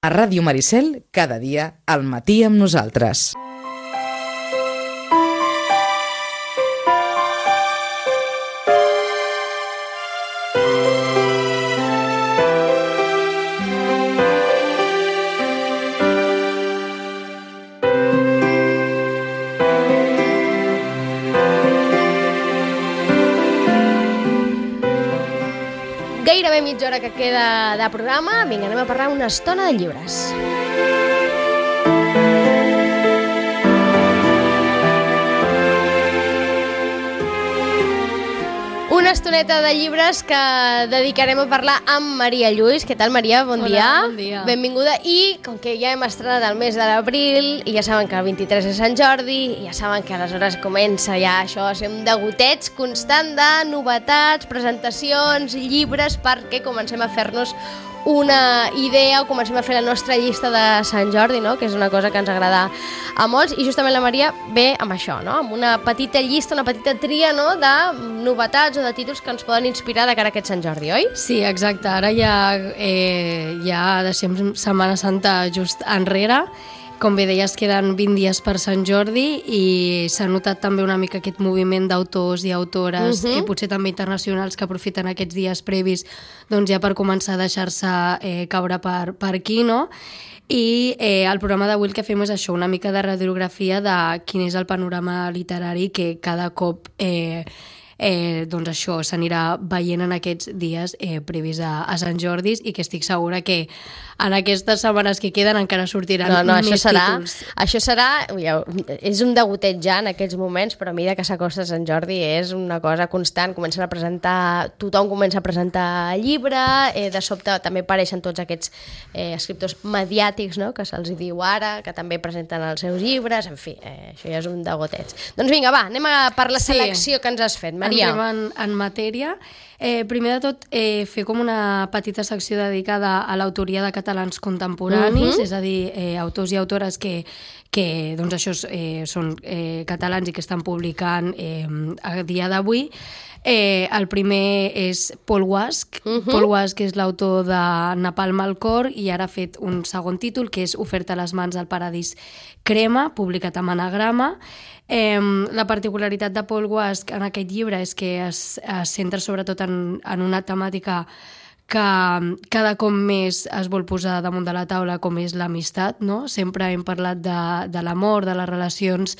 A Ràdio Maricel, cada dia, al matí amb nosaltres. Gairebé mitja hora que queda de programa. Vinga, anem a parlar una estona de llibres. Una estoneta de llibres que dedicarem a parlar amb Maria Lluís. Què tal, Maria? Bon dia. Hola, bon dia. Benvinguda. I com que ja hem estrenat el mes de l'abril i ja saben que el 23 és Sant Jordi i ja saben que aleshores comença ja això a ser un degoteig constant de novetats, presentacions, llibres, perquè comencem a fer-nos una idea o comencem a fer la nostra llista de Sant Jordi, no? Que és una cosa que ens agrada a molts, i justament la Maria ve amb això, no? Amb una petita llista, una petita tria, no? De novetats o de títols que ens poden inspirar de cara a aquest Sant Jordi, oi? Sí, exacte. Ara ja deixem Setmana Santa just enrere. Com bé deies, queden 20 dies per Sant Jordi i s'ha notat també una mica aquest moviment d'autors i autores, potser també internacionals, que aprofiten aquests dies previs doncs ja per començar a deixar-se caure per aquí, no? I el programa d'avui el que fem és això, una mica de radiografia de quin és el panorama literari que cada cop doncs això s'anirà veient en aquests dies previs a Sant Jordi, i que estic segura que en aquestes setmanes que queden encara sortiran més títols. Això serà, és un degoteig ja en aquests moments, però a mesura que s'acosta Sant Jordi és una cosa constant, comencen a presentar, tothom comença a presentar llibre, de sobte també apareixen tots aquests escriptors mediàtics, no?, que se'ls diu ara, que també presenten els seus llibres, en fi, això ja és un degoteig. Doncs vinga, va, anem per la selecció que ens has fet, Maria. Entrem en matèria. Primer de tot, fer com una petita secció dedicada a l'autoria de catalans contemporanis, és a dir, autors i autores que doncs això són catalans i que estan publicant a dia d'avui. El primer és Paul Wask. Paul Wask és l'autor de Napalm al cor i ara ha fet un segon títol, que és Oferta a les mans al paradís crema, publicat amb Anagrama. La particularitat de Paul Wask en aquest llibre és que es centra sobretot en una temàtica que cada cop més es vol posar damunt de la taula, com és l'amistat, no? Sempre hem parlat de l'amor, de les relacions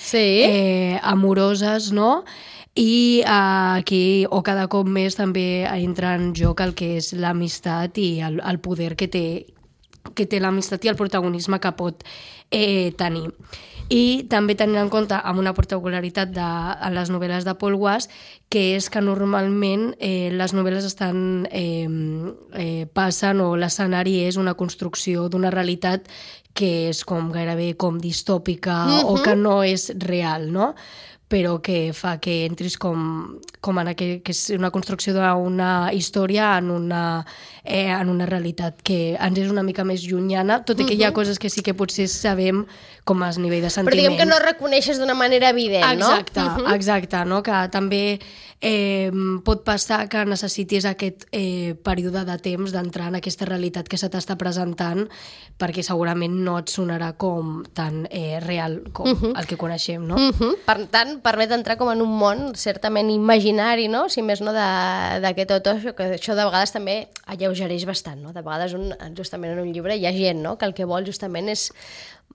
amoroses, no? I aquí, o cada cop més, també entra en joc el que és l'amistat i el poder que té l'amistat i el protagonisme que pot tenir. I també tenint en compte, amb una particularitat en les novel·les de Paul Wask, que és que normalment les novel·les passen, o l'escenari és una construcció d'una realitat que és gairebé com distòpica o que no és real, no? Però que fa que entris com en que és una construcció d'una història en una realitat que ens és una mica més llunyana, tot i que hi ha coses que sí que potser sabem com a nivell de sentiments. Però diguem que no reconeixes d'una manera evident, no? Exacte, no? Que també pot passar que necessitis aquest període de temps d'entrar en aquesta realitat que se t'està presentant, perquè segurament no et sonarà com tan real com el que coneixem, no? Per tant, permet entrar com en un món certament imaginari, no? Si més no d'aquest autor, que això de vegades també alleugereix bastant, no? De vegades justament en un llibre hi ha gent, no?, que el que vol justament és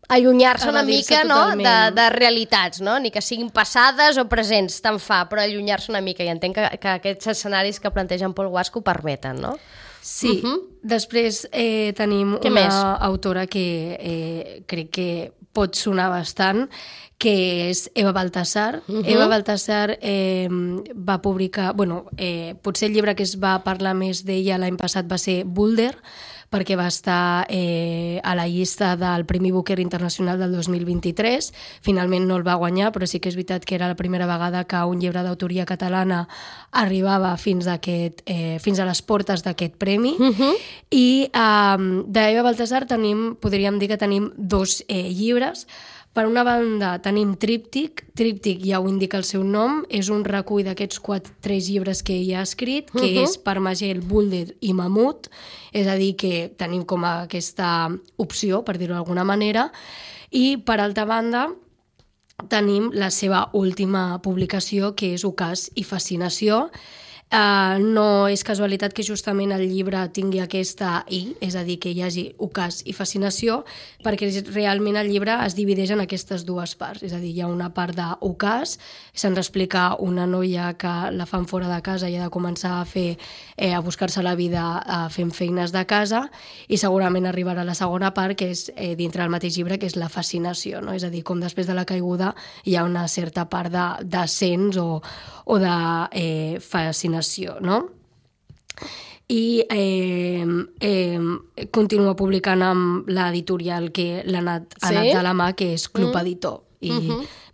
allunyar-se una mica, no?, de realitats, no? Ni que siguin passades o presents, tant fa, però allunyar-se una mica, i entenc que aquests escenaris que plantegen Paul Wask ho permeten, no? Sí. Després tenim una autora que crec que pot sonar bastant, que és Eva Baltasar. Eva Baltasar va publicar... potser el llibre que es va parlar més d'ella l'any passat va ser Boulder, perquè va estar a la llista del Premi Booker Internacional del 2023. Finalment no el va guanyar, però sí que és veritat que era la primera vegada que un llibre d'autoria catalana arribava fins a les portes d'aquest premi. I d'Eva Baltasar podríem dir que tenim dos llibres, Per una banda tenim Tríptic. Tríptic ja ho indica el seu nom, és un recull d'aquests 3 llibres que ell ha escrit, que és Parmagel, Bulder i Mamut, és a dir, que tenim com aquesta opció, per dir-ho d'alguna manera, i per altra banda tenim la seva última publicació, que és Ocàs i Fascinació. No és casualitat que justament el llibre tingui aquesta I, és a dir, que hi hagi ocàs i fascinació, perquè realment el llibre es divideix en aquestes dues parts, és a dir, hi ha una part d'ocàs, se'ns explica una noia que la fan fora de casa i ha de començar a buscar-se la vida fent feines de casa, i segurament arribarà la segona part, que és dintre del mateix llibre, que és la fascinació, no? És a dir, com després de la caiguda hi ha una certa part d'ascens o de fascinació, no? I continua publicant amb l'editorial que l'ha anat de la mà, que és Club Editor. I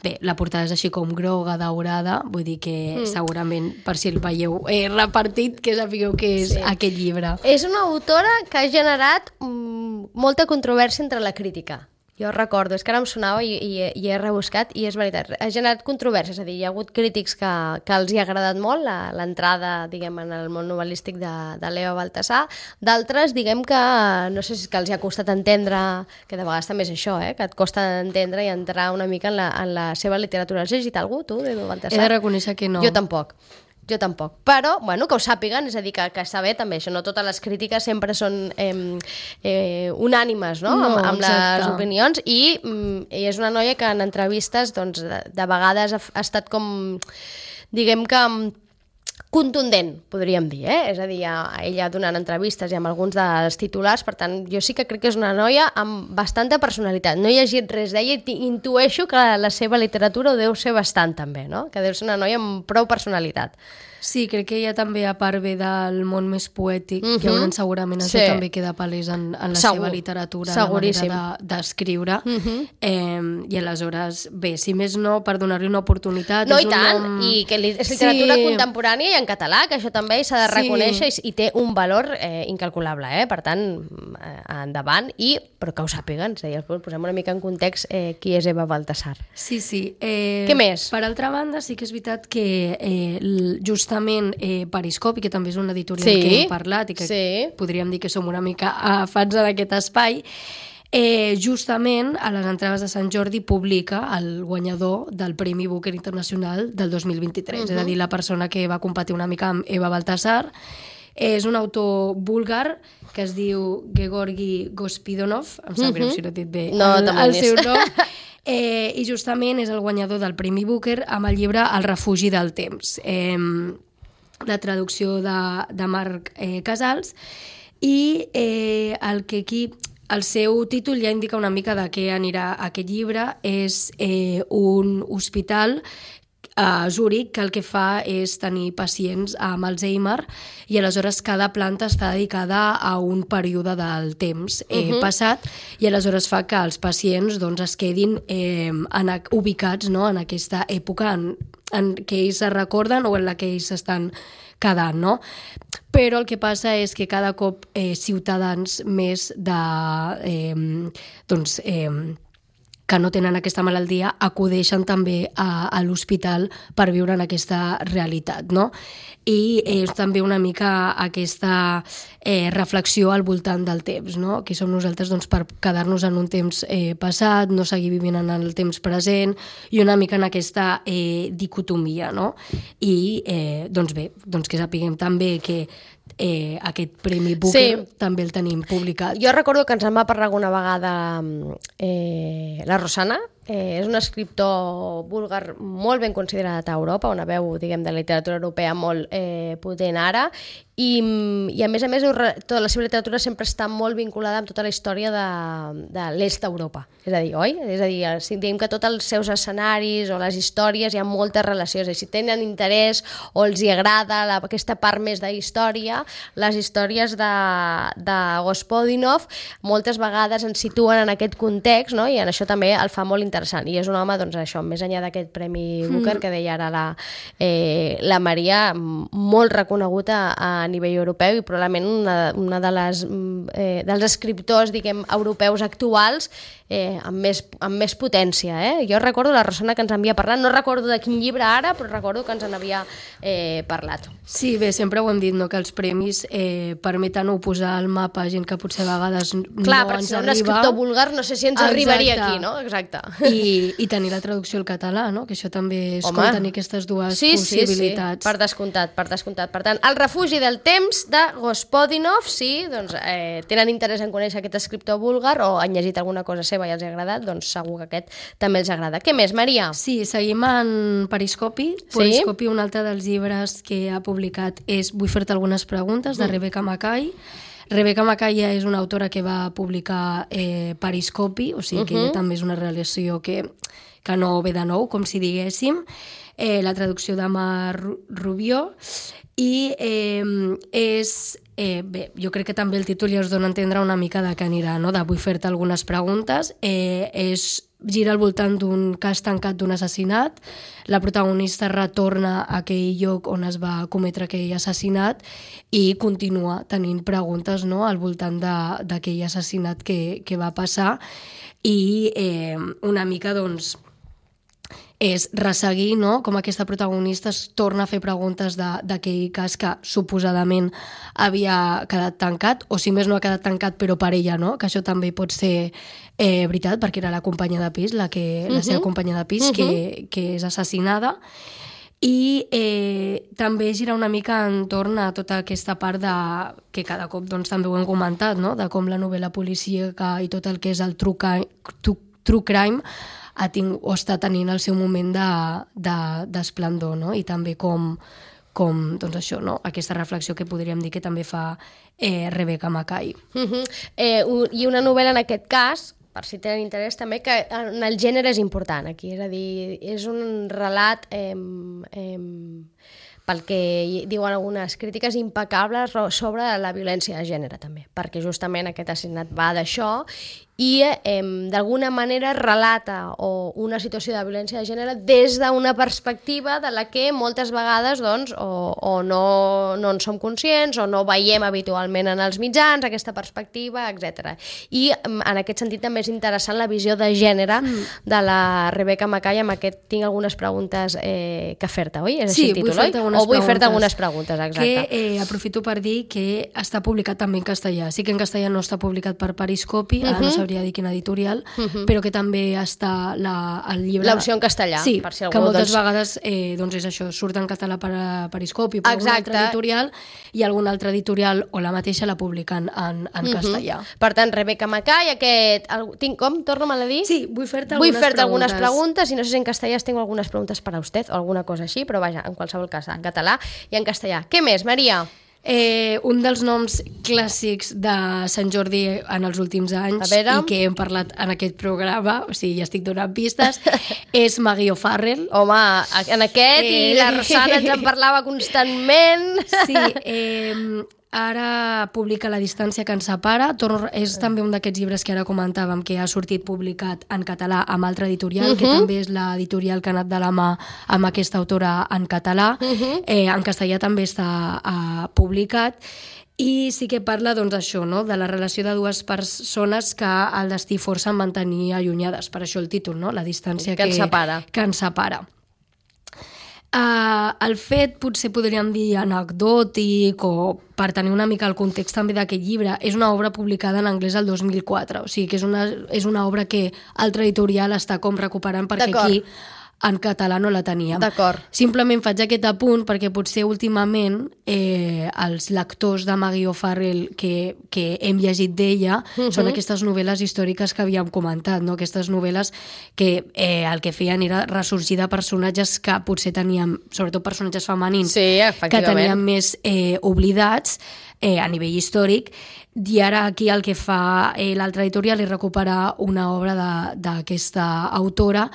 bé, la portada és així com groga, daurada, vull dir que segurament, per si el veieu repartit, que sapigueu que és aquest llibre. És una autora que ha generat molta controvèrsia entre la crítica. Jo recordo, és que ara em sonava i he rebuscat, i és veritat, ha generat controvèrsies, és a dir, hi ha hagut crítics que els hi ha agradat molt l'entrada, diguem, en el món novel·lístic de l'Eva Baltasar, d'altres, diguem que, no sé si és que els hi ha costat entendre, que de vegades també és això, que et costa entendre i entrar una mica en la seva literatura. Has llegit algú, tu, d'Eva Baltasar? He de reconèixer que no. Jo tampoc. Però, bueno, que ho sàpiguen, és a dir, que està bé també, això, no totes les crítiques sempre són unànimes, no? Amb les opinions, i és una noia que en entrevistes, doncs, de vegades ha estat com, diguem que contundent, podríem dir, és a dir, ella donant entrevistes i amb alguns dels titulars, per tant, jo sí que crec que és una noia amb bastanta personalitat. No he llegit res d'ella i intueixo que la seva literatura ho deu ser bastant també, no? Que deu ser una noia amb prou personalitat. Sí, crec que ella també, a part ve del món més poètic, llavors segurament això també queda palès en la seva literatura, la manera d'escriure. I aleshores, bé, si més no, per donar-li una oportunitat... No, i tant, i que és literatura contemporània i en català, que això també s'ha de reconèixer i té un valor incalculable, per tant, endavant, però que ho sàpiguen, posem una mica en context qui és Eva Baltasar. Sí. Què més? Per altra banda, sí que és veritat que justament Periscopi, que també és una editorial que hem parlat i que podríem dir que som una mica fans en aquest espai, justament a les entrades de Sant Jordi publica el guanyador del Premi Booker Internacional del 2023, és a dir, la persona que va competir una mica amb Eva Baltasar. És un autor búlgar que es diu Georgi Gospodinov, em sap greu si no he dit bé el seu nom, i justament és el guanyador del Premi Booker amb el llibre El refugi del temps, la traducció de Marc Casals, i el que aquí el seu títol ja indica una mica de què anirà aquest llibre. És un hospital a Zúrich que el que fa és tenir pacients amb Alzheimer, i aleshores cada planta està dedicada a un període del temps passat, i aleshores fa que els pacients es quedin ubicats en aquesta època en què ells es recorden o en la que ells estan quedant, no? Però el que passa és que cada cop ciutadans més que no tenen aquesta malaltia acudeixen també a l'hospital per viure en aquesta realitat, no? I és també una mica aquesta reflexió al voltant del temps, no? Que som nosaltres per quedar-nos en un temps passat, no seguir vivint en el temps present, i una mica en aquesta dicotomia, no? I bé, que sapiguem també que aquest Premi Booker també el tenim publicat. Jo recordo que ens en va parlar alguna vegada la Rosana, és un escriptor búlgar molt ben considerat a Europa, una veu, diguem, de la literatura europea molt potent ara, i a més, tota la seva literatura sempre està molt vinculada amb tota la història de l'est d'Europa, és a dir, oi? És a dir, si diem que tots els seus escenaris o les històries hi ha moltes relacions, i si tenen interès o els hi agrada aquesta part més d'història, les històries de Gospodinov moltes vegades ens situen en aquest context, no? I en això també el fa molt interessant. I és un home, doncs això, més enllà d'aquest Premi Booker que deia ara la Maria, molt reconegut a nivell europeu i probablement una dels escriptors, diguem, europeus actuals amb més potència. Jo recordo la persona que ens havia parlat, no recordo de quin llibre ara, però recordo que ens en havia parlat. Sí, bé, sempre ho hem dit, no?, que els premis permeten posar al mapa gent que potser a vegades no ens arriba. Clar, perquè un escriptor vulgar no sé si ens arribaria aquí, no? Exacte. I tenir la traducció al català, no?, que això també és com tenir aquestes dues possibilitats. Sí, per descomptat. Per tant, El refugi del temps de Gospodinov, sí, doncs tenen interès en conèixer aquest escriptor búlgar o han llegit alguna cosa seva i els ha agradat, doncs segur que aquest també els agrada. Què més, Maria? Sí, seguim en Periscopi. Periscopi, un altre dels llibres que ha publicat és Vull fer-te algunes preguntes, de Rebecca Mackay. Rebecca Mackay és una autora que va publicar Periscopi, o sigui que també és una relació que no ve de nou, com si diguéssim. La traducció d'Ama Rubió. I bé, jo crec que també el títol ja us dona a entendre una mica de què anirà, no?, de Vull fer-te algunes preguntes. Gira al voltant d'un cas tancat d'un assassinat. La protagonista retorna a aquell lloc on es va cometre aquell assassinat i continua tenint preguntes, no?, al voltant d'aquell assassinat que va passar i una mica, doncs, és resseguir, no?, com aquesta protagonista es torna a fer preguntes d'aquell cas que suposadament havia quedat tancat, o si més no ha quedat tancat però per ella, no?, que això també pot ser veritat, perquè era la companya de pis, la seva companya de pis, que és assassinada. I també gira una mica entorn a tota aquesta part que cada cop doncs, també ho hem comentat, no?, de com la novel·la policíaca i tot el que és el true crime està tenint el seu moment d'esplendor, no?, i també com doncs això, no?, aquesta reflexió que podríem dir que també fa Rebecca Mackay. I una novel·la en aquest cas, per si tenen interès també, que en el gènere és important aquí, és a dir, és un relat pel que diuen algunes crítiques impecables sobre la violència de gènere també, perquè justament aquest assassinat va d'això i d'alguna manera relata una situació de violència de gènere des d'una perspectiva de la que moltes vegades doncs, o no en som conscients o no veiem habitualment en els mitjans aquesta perspectiva, etc. I en aquest sentit també és interessant la visió de gènere de la Rebecca Mackay. Amb aquest tinc algunes preguntes que fer-te, oi? És sí, el títol, vull fer-te algunes preguntes, exacte. Que aprofito per dir que està publicat també en castellà. Sí que en castellà no està publicat per Periscopi, no sabria dir quina editorial, però que també està el llibre... L'opció en castellà, sí, per si algú... que moltes vegades doncs és això, surt en català per Periscopi, per alguna altra editorial, i alguna altra editorial o la mateixa la publiquen en castellà. Per tant, Rebecca Mackay, tinc com? Torna'm a dir? Sí, vull fer-te algunes preguntes, i no sé si en castellà tengo algunes preguntes per a usted, o alguna cosa així, però vaja, en qualsevol cas, en català i en castellà. Què més, Maria? Un dels noms clàssics de Sant Jordi en els últims anys i que hem parlat en aquest programa, o sigui, ja estic donant pistes, és Maggie O'Farrell. Home, en aquest i la Rosana ens en parlava constantment. Sí, ara publica La distància que ens separa. És també un d'aquests llibres que ara comentàvem que ha sortit publicat en català amb altra editorial, que també és l'editorial que ha anat de la mà amb aquesta autora en català. En castellà també està publicat. I sí que parla doncs això, no?, de la relació de dues persones que el destí força en mantenir allunyades. Per això el títol, no?, La distància que ens separa. El fet, potser podríem dir anecdòtic o per tenir una mica el context també d'aquest llibre, és una obra publicada en anglès el 2004, o sigui que és una obra que altra editorial està com recuperant perquè aquí en català no la teníem. D'acord. Simplement faig aquest apunt perquè potser últimament els lectors de Maggie O'Farrell que hem llegit d'ella són aquestes novel·les històriques que havíem comentat, no? Aquestes novel·les que el que feien era ressorgir de personatges que potser teníem, sobretot personatges femenins, que teníem més oblidats a nivell històric, i ara aquí el que fa l'altra editorial és recuperar una obra d'aquesta autora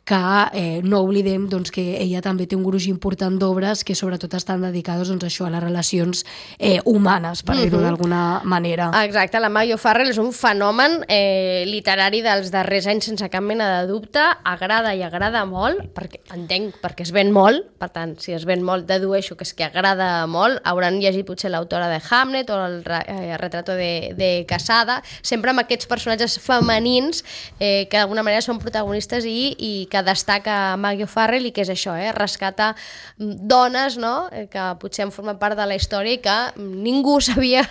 que no oblidem doncs, que ella també té un gruix important d'obres que sobretot estan dedicades doncs, a això, a les relacions humanes, per dir-ho d'alguna manera. Exacte, la Maggie O'Farrell és un fenomen literari dels darrers anys sense cap mena de dubte, agrada i agrada molt, perquè entenc perquè es ven molt, per tant, si es ven molt dedueixo que és que agrada molt, hauran llegit potser l'autora de Hamlet o el retrato de Casada, sempre amb aquests personatges femenins que d'alguna manera són protagonistes i que destaca Maggie O'Farrell i que és això, rescata dones, no? Que potser han format part de la història i que ningú sabia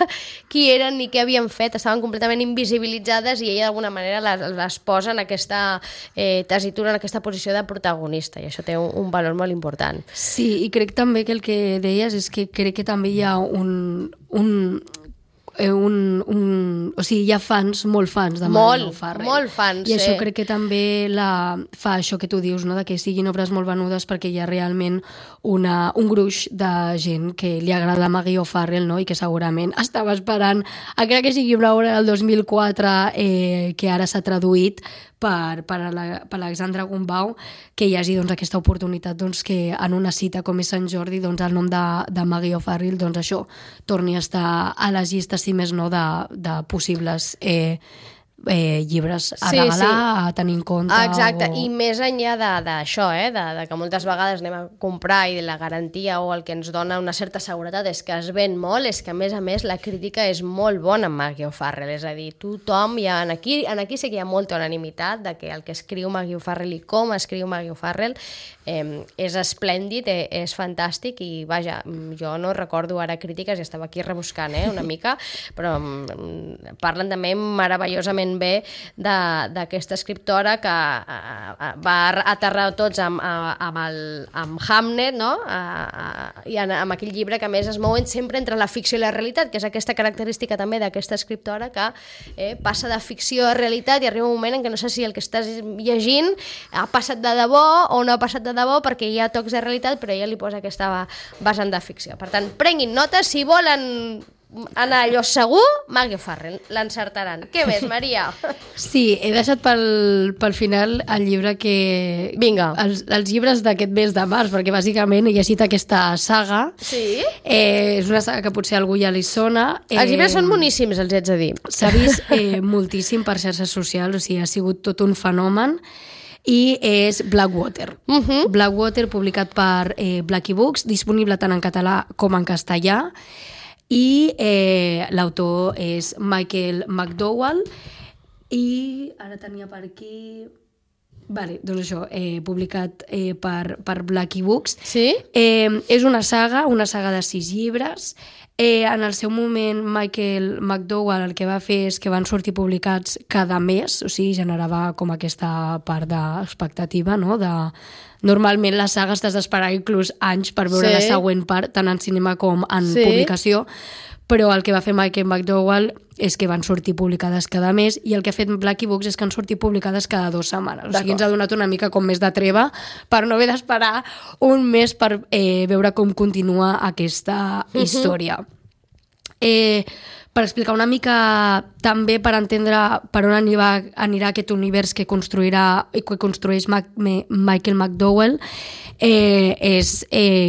qui eren ni què havien fet, estaven completament invisibilitzades i ella d'alguna manera les posa en aquesta tessitura, en aquesta posició de protagonista, i això té un valor molt important. Sí, i crec també que el que deies és que crec que també hi ha o sigui, hi ha fans, molt fans de Maggie O'Farrell. Molt fans, I això crec que també fa això que tu dius, no? De que siguin obres molt venudes perquè hi ha realment un gruix de gent que li agrada Maggie O'Farrell, no? I que segurament estava esperant encara que sigui una obra del 2004 que ara s'ha traduït per Alexandra Gumbau, que hi hagi doncs, aquesta oportunitat doncs, que en una cita com és Sant Jordi doncs, el nom de Maggie O'Farrell doncs, això torni a estar a les llistes, si més no, de possibles llibres a regalar, a tenir en compte. Exacte, i més enllà d'això, de que moltes vegades anem a comprar i la garantia o el que ens dona una certa seguretat és que es ven molt, és que a més la crítica és molt bona amb Maggie O'Farrell, és a dir, tothom, aquí sí que hi ha molta unanimitat de que el que escriu Maggie O'Farrell i com escriu Maggie O'Farrell és esplèndid, és fantàstic i vaja, jo no recordo ara crítiques, ja estava aquí rebuscant una mica, però parlen també meravellosament bé d'aquesta escriptora que va aterrar tots amb Hamlet, no? I amb aquell llibre que a més es mouen sempre entre la ficció i la realitat, que és aquesta característica també d'aquesta escriptora que passa de ficció a realitat i arriba un moment en què no sé si el que estàs llegint ha passat de debò o no ha passat de debò perquè hi ha tocs de realitat, però ella li posa aquesta vessant de ficció. Per tant, prenguin notes, si volen anar allò segur, Maggie O'Farrell, l'encertaran. Què més, Maria? Sí, he deixat pel final el llibre que... Vinga. Els llibres d'aquest mes de març, perquè bàsicament he llegit aquesta saga. Sí? És una saga que potser a algú ja li sona. Els llibres són boníssims, els haig de dir. S'ha vist moltíssim per xarxes socials, o sigui, ha sigut tot un fenomen. I és Blackwater. Blackwater, publicat per Blackie Books, disponible tant en català com en castellà. I l'autor és Michael McDowell i ara tenia per aquí... Vale, doncs això, publicat per Blackie Books. Sí? És una saga de 6 llibres. En el seu moment, Michael McDowell el que va fer és que van sortir publicats cada mes, o sigui, generava com aquesta part d'expectativa, no?, Normalment les sagues t'has d'esperar inclús anys per veure la següent part, tant en cinema com en publicació, però el que va fer Michael McDowell és que van sortir publicades cada mes i el que ha fet Blackie Books és que han sortit publicades cada 2 setmanes. O sigui, ens ha donat una mica com més de treva per no haver d'esperar un mes per veure com continua aquesta història. Per explicar una mica també per entendre per on anirà aquest univers que construeix Michael McDowell, és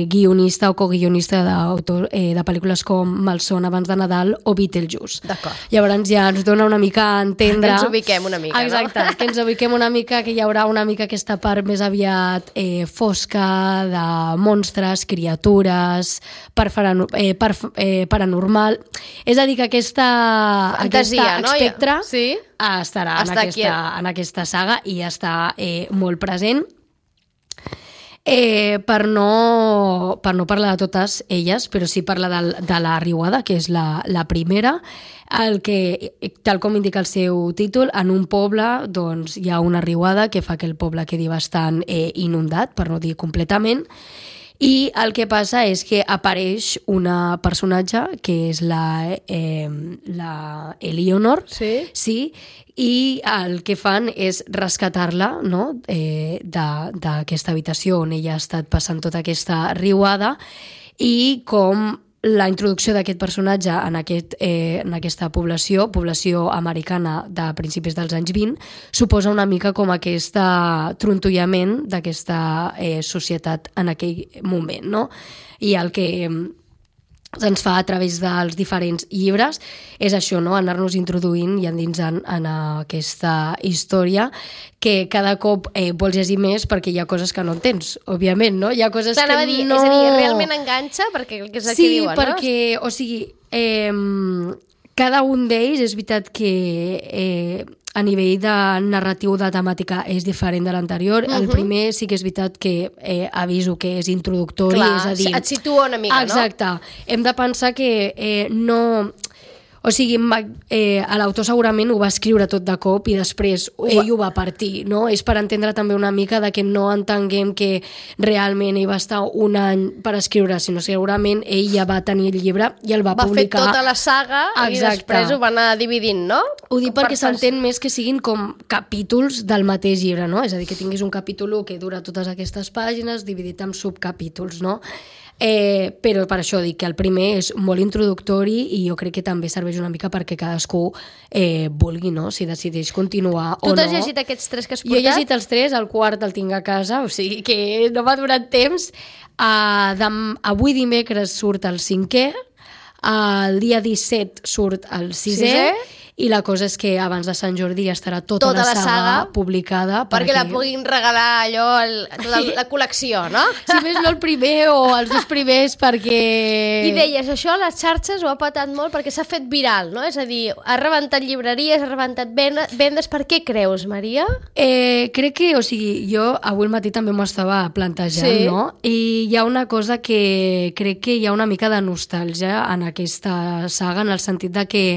guionista o coguionista de pel·lícules com Malson abans de Nadal o Beetlejuice. D'acord. Llavors ja ens dona una mica a entendre... Que ens ubiquem una mica, exacte, no? Que ens ubiquem una mica, que hi haurà una mica aquesta part més aviat fosca, de monstres, criatures, paranormal... És a dir, que aquesta fantasia, espectre estarà en aquesta saga i està molt present. Per no parlar de totes elles, però sí parlar de la riuada, que és la primera, tal com indica el seu títol, en un poble doncs, hi ha una riuada que fa que el poble quedi bastant inundat, per no dir completament, i el que passa és que apareix una personatge que és la Eleanor, sí, i el que fan és rescatar-la, no?, d'aquesta habitació on ella ha estat passant tota aquesta riuada i com la introducció d'aquest personatge en aquesta població americana de principis dels anys 20 suposa una mica com aquest trontollament d'aquesta societat en aquell moment, no? I el que se'ns fa a través dels diferents llibres és això, no? Anar-nos introduint i endinsant en aquesta història que cada cop vols llegir més perquè hi ha coses que no entens, òbviament, no? Hi ha coses que no... És a dir, realment enganxa perquè és el que diuen, no? Sí, perquè, o sigui, cada un d'ells és veritat que a nivell de narratiu de temàtica és diferent de l'anterior. El primer sí que és veritat que aviso que és introductori, és a dir... et situa una mica, exacte. No? Hem de pensar que no... O sigui, l'autor segurament ho va escriure tot de cop i després ell ho va partir, no? És per entendre també una mica de que no entenguem que realment ell va estar un any per escriure, sinó segurament ell ja va tenir el llibre i el va publicar. Va fer tota la saga. Exacte. I després ho va anar dividint, no? Ho dic perquè s'entén més que siguin com capítols del mateix llibre, no? És a dir, que tinguis un capítol 1 que dura totes aquestes pàgines dividit en subcapítols, no? Però per això dic que el primer és molt introductori i jo crec que també serveix una mica perquè cadascú vulgui, no? Si decideix continuar o no. Tu t'has llegit aquests 3 que has portat? Jo he llegit els 3, el quart el tinc a casa, o sigui que no m'ha donat temps. Avui dimecres surt el 5è, el dia 17 surt el 6è, i la cosa és que abans de Sant Jordi ja estarà tota la saga publicada. Perquè la puguin regalar allò, tota la col·lecció, no? Si més no el primer o els 2 primers, perquè... I deies, això a les xarxes ho ha patat molt perquè s'ha fet viral, no? És a dir, ha rebentat llibreries, ha rebentat vendes. Per què creus, Maria? Crec que, o sigui, jo avui al matí també m'ho estava plantejant, no? I hi ha una cosa que crec que hi ha una mica de nostàlgia en aquesta saga, en el sentit de que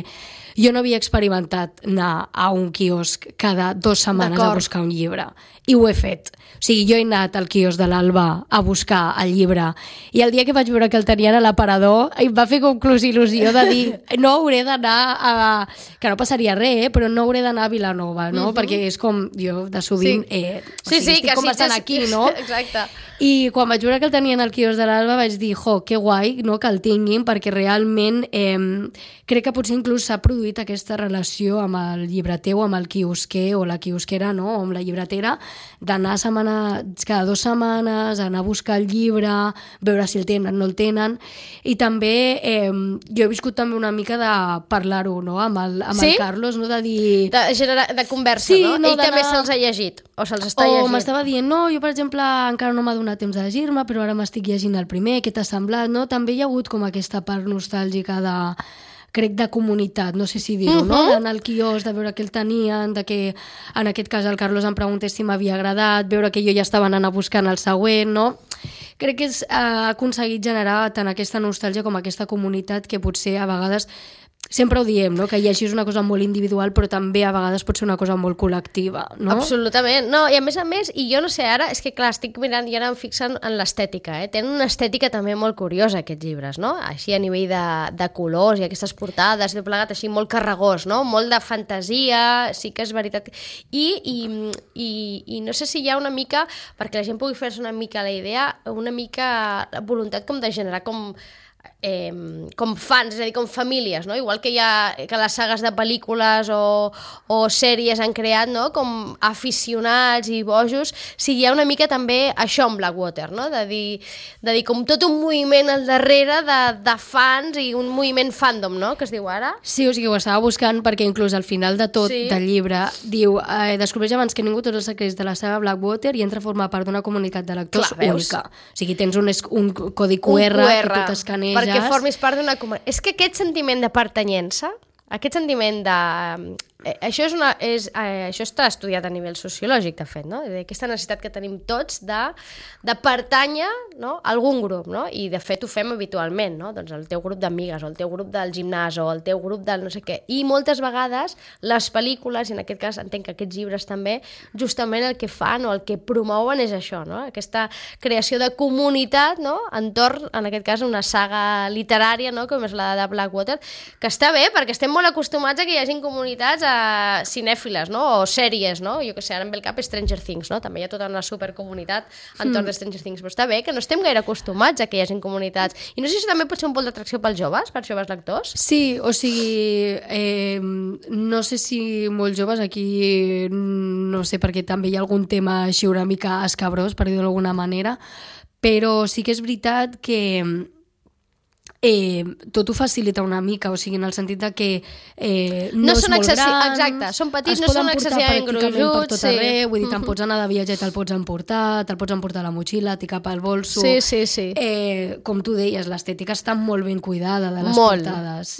jo no havia experimentat anar a un quiosc cada 2 setmanes a buscar un llibre. I ho he fet. O sigui, jo he anat al quiosc de l'Alba a buscar el llibre i el dia que vaig veure que el tenien a l'aparador em va fer com il·lusió de dir no hauré d'anar a... que no passaria res, però no hauré d'anar a Vilanova, no? Perquè és com jo de sovint estic com bastant aquí, no? Exacte. I quan vaig veure que el tenien al quiosc de l'Alba vaig dir, que guai, no? Que el tinguin, perquè realment crec que potser inclús s'ha produït aquesta relació amb el llibreter o amb el quiosquer o la quiosquera, no? O amb la llibretera, d'anar cada 2 setmanes, anar a buscar el llibre, veure si el tenen o no el tenen. I també jo he viscut també una mica de parlar-ho, no? Amb el Carlos, no? De dir... De conversa, no? Ell també se'ls ha llegit, o se'ls està llegint. O m'estava dient, no, jo per exemple encara no m'ha donat temps de llegir-me, però ara m'estic llegint el primer, què t'ha semblat, no? També hi ha hagut com aquesta part nostàlgica crec de comunitat, no sé si dir-ho, no? D'anar al quiosc, de veure què el tenien, de que en aquest cas el Carlos em preguntés si m'havia agradat, veure que jo ja estava anant a buscar el següent, no? Crec que ha aconseguit generar tant aquesta nostàlgia com aquesta comunitat que potser a vegades sempre ho diem, no? Que llegir és una cosa molt individual, però també a vegades pot ser una cosa molt col·lectiva, no? Absolutament. No, i a més, i jo no sé, ara, és que clar, estic mirant i ara em fixen en l'estètica, Tenen una estètica també molt curiosa, aquests llibres, no? Així a nivell de colors i aquestes portades, de plegat així molt carregós, no? Molt de fantasia, sí que és veritat. I no sé si hi ha una mica, perquè la gent pugui fer-se una mica la idea, una mica voluntat com de generar com fans, és a dir, com famílies, no? Igual que hi ha que les sagues de pel·lícules o sèries han creat, no? Com aficionats i bojos, sí, hi ha una mica també això amb Blackwater, no? De dir com tot un moviment al darrere de fans i un moviment fandom, no? Que es diu ara. Sí, o sigui, ho estava buscant perquè inclús al final de tot del llibre diu, descobreix abans que ningú tots els secrets de la saga Blackwater i entra a formar part d'una comunitat de lectors única. O sigui, tens un codi QR que tu t'escaneges. Perquè formis part d'una comunitat. És que aquest sentiment de pertanyença, aquest sentiment de... Això està estudiat a nivell sociològic, de fet, no? Aquesta necessitat que tenim tots de pertànyer, no? A algun grup, no? I de fet ho fem habitualment, no? Doncs el teu grup d'amigues, o el teu grup del gimnàs, o el teu grup del no sé què. I moltes vegades les pel·lícules, i en aquest cas entenc que aquests llibres també, justament el que fan o el que promouen és això, no? Aquesta creació de comunitat, no? Entorn, en aquest cas, una saga literària, no? Com és la de Blackwater, que està bé, perquè estem molt acostumats a que hi hagin comunitats cinèfiles, no? O sèries, no? Jo què sé, ara em ve el cap Stranger Things, no? També hi ha tota una supercomunitat entorn de Stranger Things, però està bé que no estem gaire acostumats a que hi hagi comunitats. I no sé si també pot ser un pol d'atracció pels joves lectors? Sí, o sigui, no sé si molts joves aquí, no sé, perquè també hi ha algun tema així una mica escabrós, per dir-ho d'alguna manera, però sí que és veritat que tot ho facilita una mica, o sigui, en el sentit de que no és molt gran, exacte, són petits, no són excessivament gruixuts, per tot arreu, vull dir, te'n pots anar de viatge i te'l pots emportar a la motxilla, t'hi cap al bolso. Sí. Com tu deies, l'estètica està molt ben cuidada de les portades.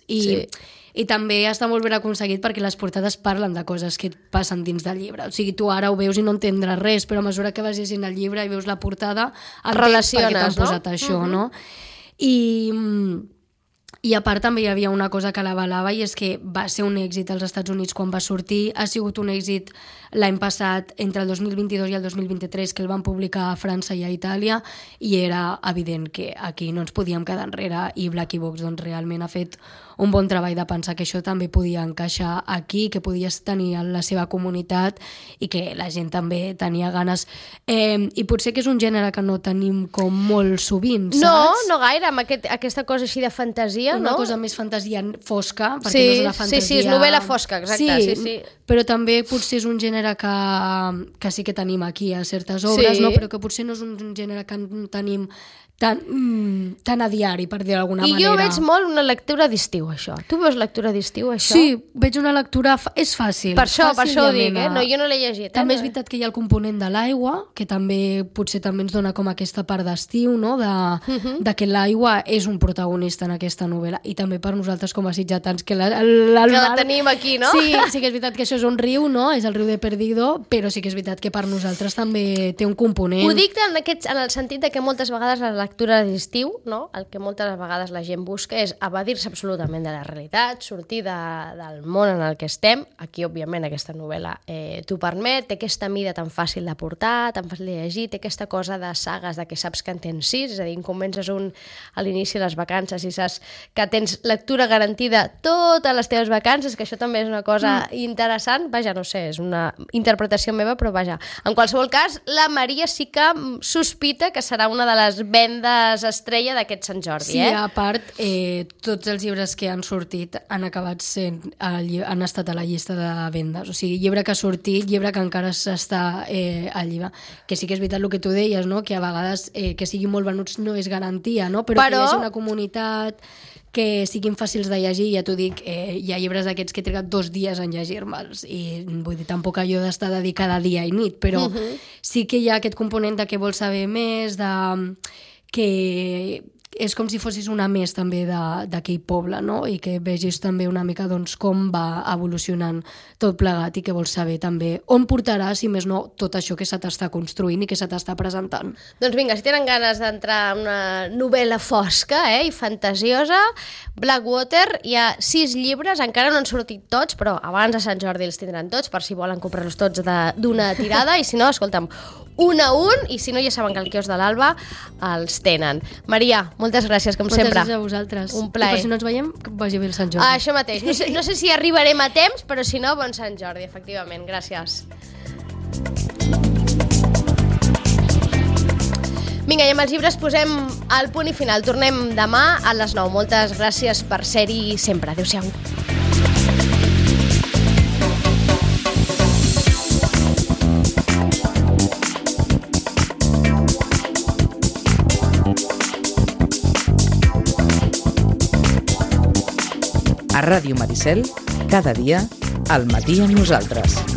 I també està molt ben aconseguit perquè les portades parlen de coses que et passen dins del llibre. O sigui, tu ara ho veus i no entendràs res, però a mesura que vas llegint el llibre i veus la portada, entens per què t'han posat això, no? I a part també hi havia una cosa que l'avalava, i és que va ser un èxit als Estats Units quan va sortir, ha sigut un èxit l'any passat, entre el 2022 i el 2023, que el van publicar a França i a Itàlia, i era evident que aquí no ens podíem quedar enrere, i Blackie Box doncs, realment ha fet un bon treball de pensar que això també podia encaixar aquí, que podies tenir la seva comunitat i que la gent també tenia ganes. I potser que és un gènere que no tenim com molt sovint, saps? No gaire, amb aquesta cosa així de fantasia, una no? cosa més fantasia fosca, perquè no és una fantasia... Sí, és novel·la fosca, exacte. Sí. Però també potser és un gènere que sí que tenim aquí a certes obres, no? Però que potser no és un gènere que tenim tan a diari, per dir d'alguna manera. I jo veig molt una lectura d'estiu, això. Tu veus lectura d'estiu, això? Sí, veig una lectura... És fàcil. Per això ho dic, No, jo no l'he llegit. També és veritat que hi ha el component de l'aigua, que també potser també ens dona com aquesta part d'estiu, no? De que l'aigua és un protagonista en aquesta novel·la. I també per nosaltres com a sitjatans, que la tenim aquí, no? Sí que és veritat que això és un riu, no? És el riu de Perdido, però sí que és veritat que per nosaltres també té un component. Ho dic en el sentit de que moltes vegades la lectura d'estiu, no? El que moltes vegades la gent busca és evadir-se absolutament de la realitat, sortir del món en el que estem. Aquí, òbviament, aquesta novel·la t'ho permet, té aquesta mida tan fàcil de portar, tan fàcil de llegir, té aquesta cosa de sagues de que saps que en tens 6, és a dir, comences a l'inici de les vacances i saps que tens lectura garantida totes les teves vacances, que això també és una cosa interessant. Vaja, no sé, és una interpretació meva, però vaja. En qualsevol cas, la Maria sí que sospita que serà una de les vendes estrella d'aquest Sant Jordi, Sí, a part, tots els llibres que han sortit han acabat han estat a la llista de vendes. O sigui, llibre que ha sortit, llibre que encara s'està al llibre. Que sí que és veritat el que tu deies, no? Que a vegades que siguin molt venuts no és garantia, no? Però que hi hagi una comunitat que siguin fàcils de llegir. Ja t'ho dic, hi ha llibres d'aquests que he trigat 2 dies en llegir-me'ls, i vull dir, tampoc allò d'estar dedicada dia i nit, però sí que hi ha aquest component de que vols saber més, que és com si fossis una més també d'aquell poble, no? I que vegis també una mica doncs, com va evolucionant tot plegat, i que vols saber també on portarà, si més no, tot això que se t'està construint i que se t'està presentant. Doncs vinga, si tenen ganes d'entrar en una novel·la fosca i fantasiosa, Blackwater, hi ha 6 llibres, encara no han sortit tots, però abans de Sant Jordi els tindran tots, per si volen comprar-los tots d'una tirada, i si no, escolta'm, un a un, i si no ja saben que al quiosc de l'Alba els tenen. Maria, moltes gràcies, com sempre. Moltes gràcies a vosaltres. Un plaer. I per si no ens veiem, que vagi bé el Sant Jordi. Això mateix. No sé si arribarem a temps, però si no, bon Sant Jordi, efectivament. Gràcies. Vinga, i amb els llibres posem el punt i final. Tornem demà a les 9. Moltes gràcies per ser-hi sempre. Adéu-siau. A Ràdio Maricel, cada dia, al matí amb nosaltres.